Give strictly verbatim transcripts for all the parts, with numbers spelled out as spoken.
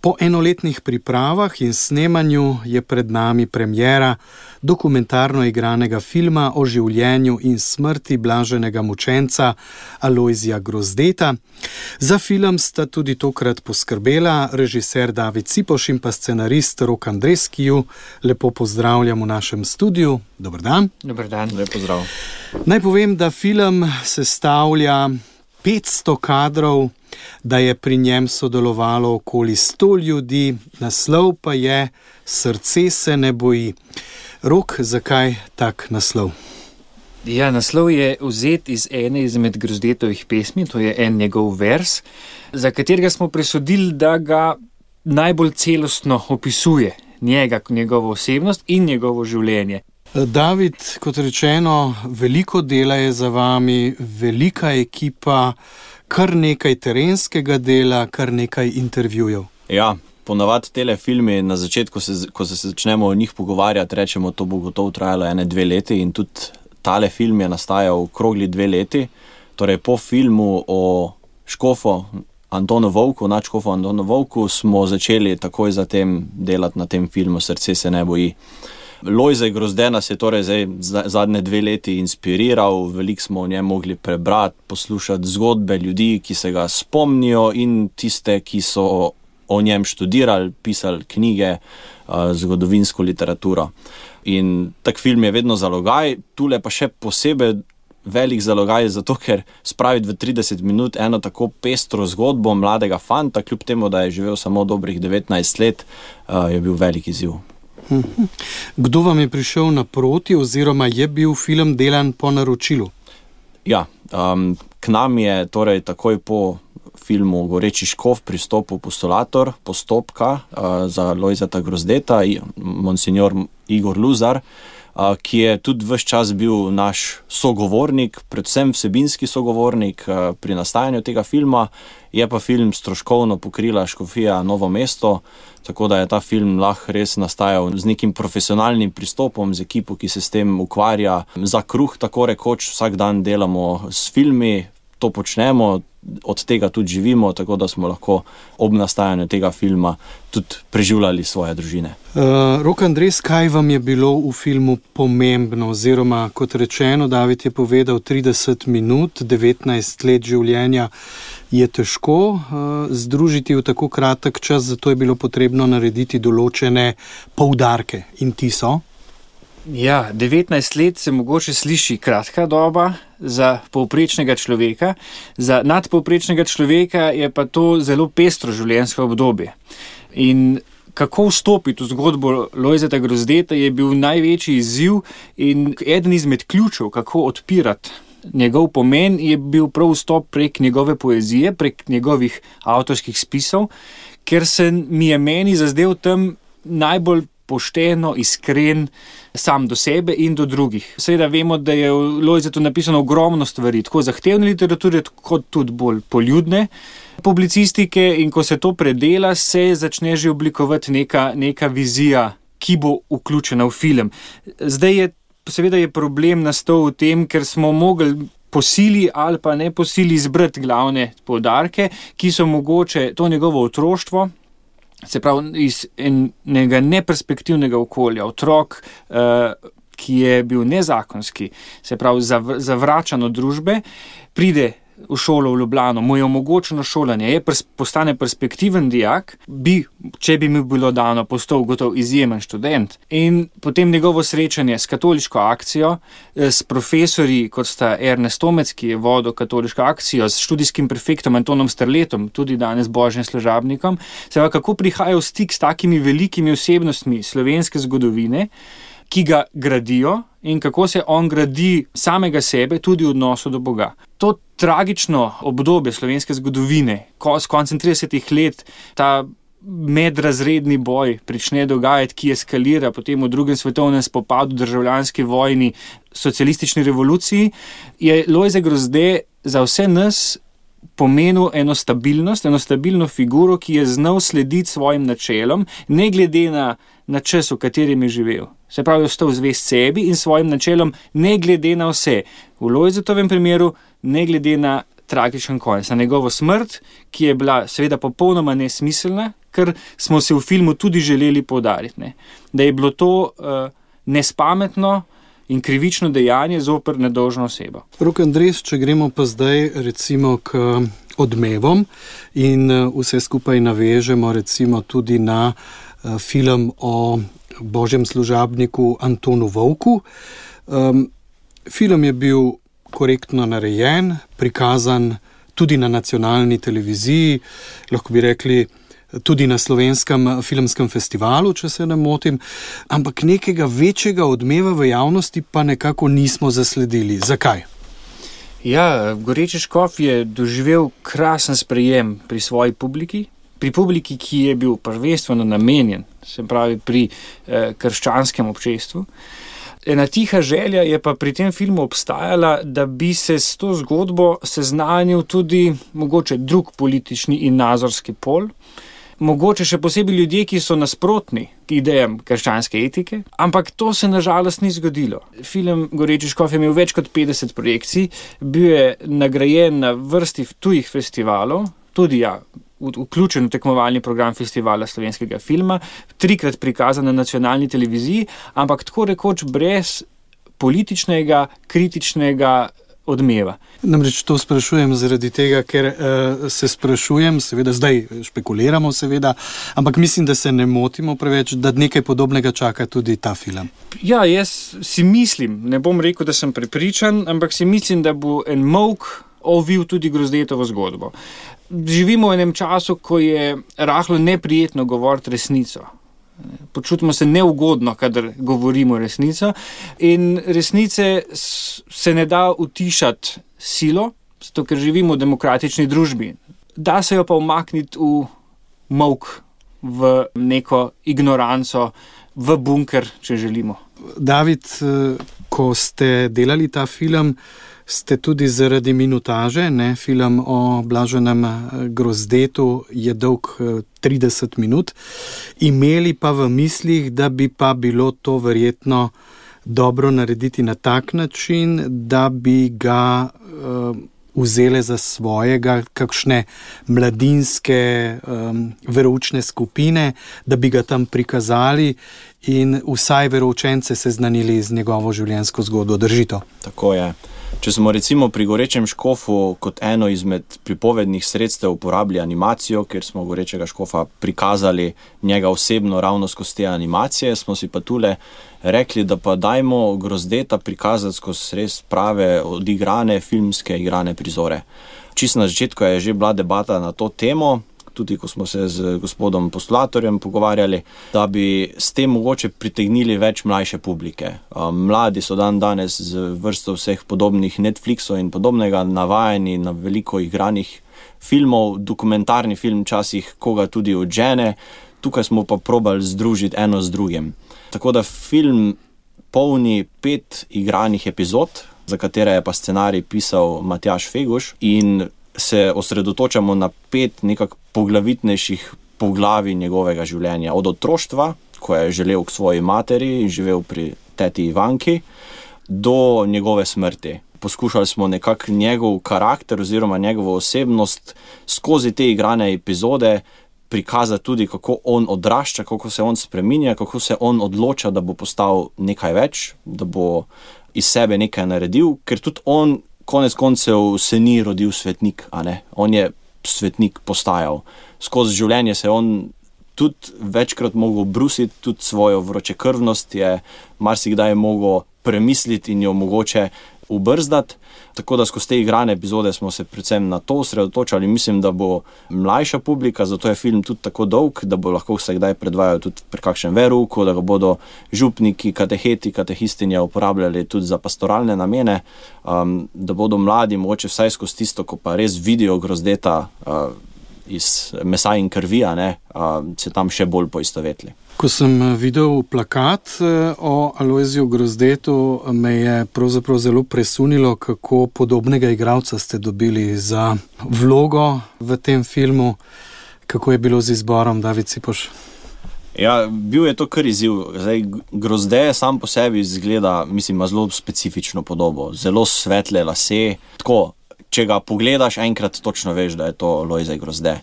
Po enoletnih pripravah in snemanju je pred nami premiera dokumentarno igranega filma o življenju in smrti blaženega mučenca Alojzija Grozdeta. Za film sta tudi tokrat poskrbela režiser David Cipoš in pa scenarist Rok Andres, ki ju lepo pozdravljam v našem studiu. Dober dan. Dober dan. Lep pozdrav. Naj povem, da film sestavlja petsto kadrov, da je pri njem sodelovalo okoli sto ljudi, naslov pa je Srce se ne boji. Rok, zakaj tak naslov? Ja, naslov je vzet iz ene izmed Grozdetovih pesmi, to je en njegov vers, za katerega smo presodili, da ga najbolj celostno opisuje njega, njegovo osebnost in njegovo življenje. David, kot rečeno, veliko dela je za vami, velika ekipa, kar nekaj terenskega dela, kar nekaj intervjujev. Ja, ponavadi tele filmi, na začetku, se, ko se začnemo o njih pogovarjati, rečemo, to bo gotovo trajalo ene dve leti in tudi tale film je nastajal okrogli dve leti. Torej, po filmu o škofu Antonu Vovku, nadškofu Antonu Vovku, smo začeli takoj zatem delati na tem filmu Srce se ne boji. Lojze Grozde nas je torej zdaj zadnje dve leti inspiriral, veliko smo o njem mogli prebrati, poslušati zgodbe ljudi, ki se ga spomnijo in tiste, ki so o njem študirali, pisali knjige, zgodovinsko literaturo. In tak film je vedno zalogaj, tule pa še posebej velik zalogaj, zato ker spraviti v trideset minut eno tako pestro zgodbo mladega fanta, kljub temu, da je živel samo dobrih devetnajst let, je bil velik izziv. Kdo vam je prišel naproti oziroma je bil film delan po naročilu? Ja, um, k nam je torej takoj po filmu Goreči škof pristopil postulator postopka uh, za Lojzeta Grozdeta, monsignor Igor Luzar, uh, ki je tudi ves čas bil naš sogovornik, predvsem vsebinski sogovornik uh, pri nastajanju tega filma. Je pa film stroškovno pokrila škofija Novo mesto, tako da je ta film lahko res nastajal z nekim profesionalnim pristopom, z ekipo, ki se s tem ukvarja. Za kruh, tako rekoč, vsak dan delamo s filmi, to počnemo, od tega tudi živimo, tako da smo lahko ob nastajanju tega filma tudi preživljali svoje družine. Uh, Rok Andres, kaj vam je bilo v filmu pomembno? Oziroma, kot rečeno, David je povedal trideset minut, devetnajst let življenja je težko uh, združiti v tako kratek čas, zato je bilo potrebno narediti določene poudarke. In ti so? Ja, devetnajst let se mogoče sliši kratka doba za povprečnega človeka, za nadpovprečnega človeka je pa to zelo pestro življenjsko obdobje. In kako vstopiti v zgodbo Lojzeta Grozdeta je bil največji izziv in eden izmed ključev, kako odpirati njegov pomen, je bil prav vstop prek njegove poezije, prek njegovih avtorskih spisov, ker se mi je meni zazdel tam najbolj pošteno, iskren sam do sebe in do drugih. Seveda vemo, da je v Lojzetu napisano ogromno stvari, tako zahtevne literature, kot tudi bolj poljudne publicistike, in ko se to predela, se začne že oblikovati neka, neka vizija, ki bo vključena v film. Zdaj je, seveda je problem nastal v tem, ker smo mogli po sili ali pa ne po sili izbrati glavne poudarke, ki so mogoče to njegovo otroštvo, se pravi iz enega neperspektivnega okolja, otrok, uh, ki je bil nezakonski, se pravi zav, zavračan od družbe, pride v šolo v Ljubljano, mu je omogočeno šolanje, je pers- postane perspektiven dijak, bi, če bi mi bilo dano, postal gotov izjemen študent. In potem njegovo srečanje s katoliško akcijo, s profesorji, kot sta Ernest Tomec, ki je vodil katoliško akcijo, s študijskim prefektom Antonom Strletom, tudi danes Božjem služabnikom, se pa kako prihaja v stik s takimi velikimi osebnostmi slovenske zgodovine, ki ga gradijo in kako se on gradi samega sebe tudi v odnosu do Boga. To tragično obdobje slovenske zgodovine, ko s koncem tridesetih let ta medrazredni boj prične dogajati, ki eskalira potem v drugem svetovnem spopadu, državljanski vojni, socialistični revoluciji, je Lojze Grozde za vse nas pomenil eno stabilnost, eno stabilno figuro, ki je znal slediti svojim načelom, ne glede na, na čas, v katerem je živel. Se pravi, ostal zvest sebi in svojim načelom, ne glede na vse. V Lojzetovem primeru, ne glede na tragičen konec, na njegovo smrt, ki je bila seveda popolnoma nesmiselna, ker smo se v filmu tudi želeli poudariti, ne? Da je bilo to uh, nespametno in krivično dejanje zoper nedolžno osebo. Rok Andres, če gremo pa zdaj recimo k Odmevom in vse skupaj navežemo recimo tudi na uh, film o božjem služabniku Antonu Vovku. Um, film je bil korektno narejen, prikazan tudi na nacionalni televiziji, lahko bi rekli tudi na Slovenskem filmskem festivalu, če se ne motim, ampak nekega večjega odmeva v javnosti pa nekako nismo zasledili. Zakaj? Ja, Goreči škof je doživel krasen sprejem pri svoji publiki, pri publiki, ki je bil prvenstveno namenjen, se pravi pri eh, krščanskem občestvu. Ena tiha želja je pa pri tem filmu obstajala, da bi se s to zgodbo seznanil tudi mogoče drug politični in nazorski pol, mogoče še posebej ljudje, ki so nasprotni idejam krščanske etike, ampak to se nažalost ni zgodilo. Film Goreči škof je imel več kot petdeset projekcij, bil je nagrajen na vrsti tujih festivalov, tudi ja, vključen v tekmovalni program Festivala slovenskega filma, trikrat prikazan na nacionalni televiziji, ampak tako rekoč brez političnega, kritičnega odmeva. Namreč to sprašujem zaradi tega, ker uh, se sprašujem, seveda zdaj špekuliramo seveda, ampak mislim, da se ne motimo preveč, da nekaj podobnega čaka tudi ta film. Ja, jaz si mislim, ne bom rekel, da sem prepričan, ampak si mislim, da bo en molk ovil tudi Grozdetovo zgodbo. Živimo v enem času, ko je rahlo neprijetno govoriti resnico. Počutimo se neugodno, kadar govorimo resnico, in resnice se ne da utišati silo, zato ker živimo v demokratični družbi. Da se jo pa umakniti v molk, v neko ignoranco, v bunker, če želimo. David, ko ste delali ta film, ste tudi zaradi minutaže, ne, film o Blaženem Grozdetu je dolg trideset minut, imeli pa v mislih, da bi pa bilo to verjetno dobro narediti na tak način, da bi ga uh, vzele za svojega kakšne mladinske um, veroučne skupine, da bi ga tam prikazali in vsaj veroučence seznanili z njegovo življenjsko zgodbo. Drži to? Tako je. Če smo recimo pri Gorečem škofu kot eno izmed pripovednih sredstev uporabili animacijo, ker smo Gorečega škofa prikazali njega osebno ravno skozi te animacije, smo si pa tule rekli, da pa dajmo Grozdeta prikazati skozi res prave odigrane filmske igrane prizore. Čisto na začetku je že bila debata na to temo, tudi ko smo se z gospodom Postulatorjem pogovarjali, da bi s tem mogoče pritegnili več mlajše publike. Mladi so dan danes z vrsto vseh podobnih Netflixov in podobnega navajeni na veliko igranih filmov, dokumentarni film časih koga tudi odžene, tukaj smo pa probali združiti eno z drugim. Tako da film polni pet igranih epizod, za katere je pa scenarij pisal Matjaž Feguš, in se osredotočamo na pet nekak poglavitnejših poglavij njegovega življenja. Od otroštva, ko je želel k svoji materi in živel pri teti Ivanki, do njegove smrti. Poskušali smo nekako njegov karakter oziroma njegovo osebnost skozi te igrane epizode prikazati tudi, kako on odrašča, kako se on spreminja, kako se on odloča, da bo postal nekaj več, da bo iz sebe nekaj naredil, ker tudi on konec koncev se ni rodil svetnik, a ne? On je svetnik postajal. Skozi življenje se on tudi večkrat mogel brusiti, tudi svojo vročekrvnost je marsikdaj mogel premisliti in jo mogoče ubrzdati. Tako da skozi te igrane epizode smo se predvsem na to osredotočali. Mislim, da bo mlajša publika, zato je film tudi tako dolg, da bo lahko se kdaj predvajal tudi pri kakšen verouku, da ga bodo župniki, kateheti, katehistinje uporabljali tudi za pastoralne namene, um, da bodo mladi mogoče vsaj skozi tisto, ko pa res vidijo Grozdeta uh, iz mesa in krvi, ne, uh, se tam še bolj poistovetli. Ko sem videl plakat o Alojziju Grozdetu, me je pravzaprav zelo presunilo, kako podobnega igralca ste dobili za vlogo v tem filmu. Kako je bilo z izborom, David Cipoš? Ja, bil je to kar izziv. Zdaj, Grozde sam po sebi izgleda, mislim, ima zelo specifično podobo. Zelo svetle lase, tako če ga pogledaš enkrat, točno veš, da je to Lojze Grozde.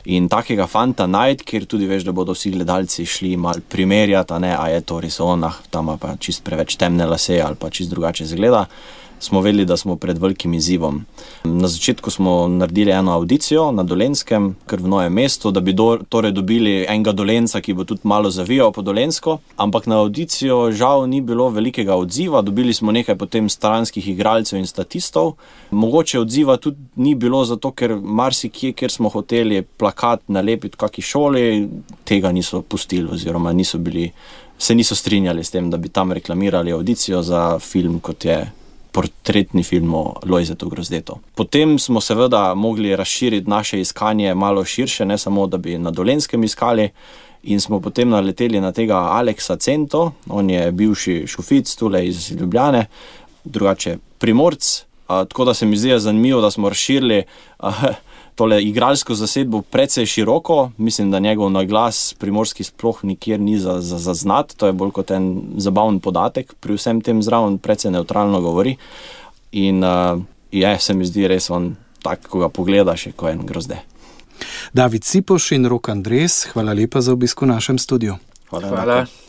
In takega fanta najti, kjer tudi veš, da bodo vsi gledalci šli mal primerjati, a ne, a je to res on, ah, tam pa čist preveč temne lase ali pa čist drugače izgleda, smo vedeli, da smo pred velikim izzivom. Na začetku smo naredili eno audicijo na Dolenjskem, kar v Novem mestu, da bi do, torej dobili enega Dolenjca, ki bo tudi malo zavijal po Dolenjsko, ampak na audicijo žal ni bilo velikega odziva, dobili smo nekaj potem stranskih igralcev in statistov. Mogoče odziva tudi ni bilo zato, ker marsikje, kjer smo hoteli plakat nalepiti v kaki šoli, tega niso pustili oziroma niso bili, se niso strinjali s tem, da bi tam reklamirali audicijo za film, kot je portretni film o Lojzetu Grozdetu. Potem smo seveda mogli razširiti naše iskanje malo širše, ne samo, da bi na Dolenjskem iskali, in smo potem naleteli na tega Aleksa Cento, on je bivši šufic tule iz Ljubljane, drugače Primorc, a, tako da se mi zdi zanimivo, da smo razširili a, tole igralsko zasedbo precej široko. Mislim, da njegov naglas primorski sploh nikjer ni za, za, za znat, to je bolj kot en zabaven podatek, pri vsem tem zraven precej neutralno govori. In uh, je, se mi zdi res on tak, ko ga pogledaš, je ko en Grozde. David Cipoš in Rok Andres, hvala lepa za obisk v našem studiu. Hvala. Hvala.